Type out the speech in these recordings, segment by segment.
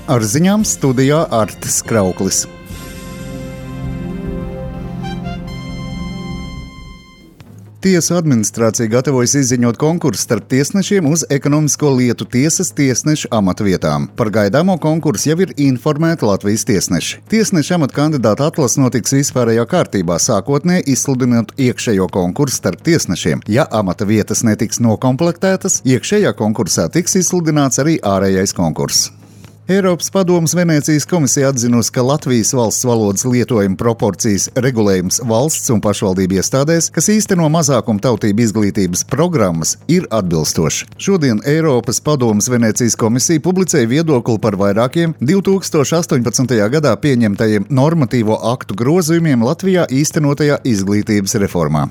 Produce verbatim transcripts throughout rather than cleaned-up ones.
Ar ziņām studijā Artis Krauklis. Tiesu administrācija gatavojas izziņot konkursu starp tiesnešiem uz ekonomisko lietu tiesas tiesnešu amatvietām. Par gaidāmo konkursu jau ir informēti Latvijas tiesneši. Tiesnešu amata kandidāta atlase notiks vispārējā kārtībā, sākotnēji izsludinot iekšējo konkursu starp tiesnešiem. Ja amata vietas netiks nokomplektētas, iekšējā konkursā tiks izsludināts arī ārējais konkurss. Eiropas padomes Venēcijas komisija atzinusi, ka Latvijas valsts valodas lietojuma proporcijas regulējums valsts un pašvaldību iestādēs, kas īsteno mazākumu tautību izglītības programmas, ir atbilstoši. Šodien Eiropas padomes Venēcijas komisija publicēja viedokli par vairākiem divi tūkstoši astoņpadsmitajā gadā pieņemtajiem normatīvo aktu grozījumiem Latvijā īstenotajā izglītības reformā.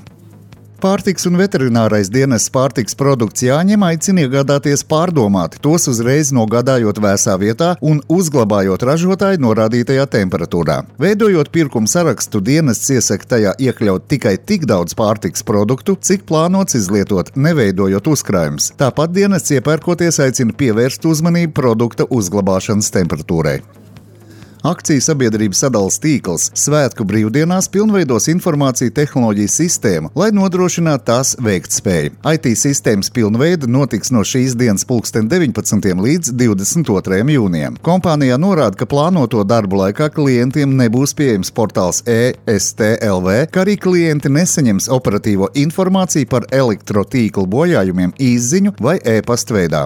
Pārtiks un veterinārais dienests pārtiks produkts jāņem aicina iegādāties pārdomāti, tos uzreiz nogādājot vēsā vietā un uzglabājot ražotāju norādītajā temperatūrā. Veidojot pirkuma sarakstu, dienests iesaka tajā iekļaut tikai tik daudz pārtiks produktu, cik plānots izlietot, neveidojot uzkrājumus. Tāpat dienests iepērkoties aicina pievērst uzmanību produkta uzglabāšanas temperatūrai. Akciju sabiedrības sadales tīkls Svētku brīvdienās pilnveidos informāciju tehnoloģiju sistēmu, lai nodrošinātu tās veiktspēju. I T sistēmas pilnveida notiks no šīs dienas pulksten deviņpadsmitiem līdz divdesmit otrajam jūnijam. Kompānijā norāda, ka plānoto darbu laikā klientiem nebūs pieejams portāls E S T L V, kā arī klienti nesaņems operatīvo informāciju par elektrotīklu bojājumiem īsziņu vai e-pasta veidā.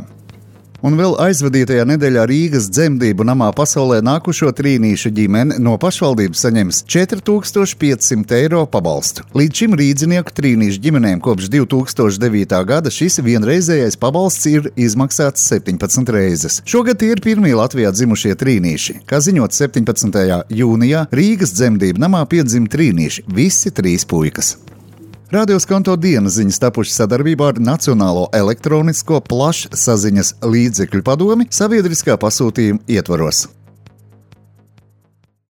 Un vēl aizvadītajā nedēļā Rīgas dzemdību namā pasaulē nākušo trīnīšu ģimene no pašvaldības saņems četri tūkstoši pieci simti eiro pabalstu. Līdz šim rīdzinieku trīnīšu ģimenēm kopš divi tūkstoši devītā gada šis vienreizējais pabalsts ir izmaksāts septiņpadsmit reizes. Šogad tie ir pirmie Latvijā dzimušie trīnīši. Kā ziņot septiņpadsmitajā jūnijā, Rīgas dzemdību namā piedzima trīnīši, visi trīs puikas. Radio Skonto dienas ziņas tapušas sadarbībā ar Nacionālo elektronisko plašsaziņas līdzekļu padomi sabiedriskā pasūtījuma ietvaros.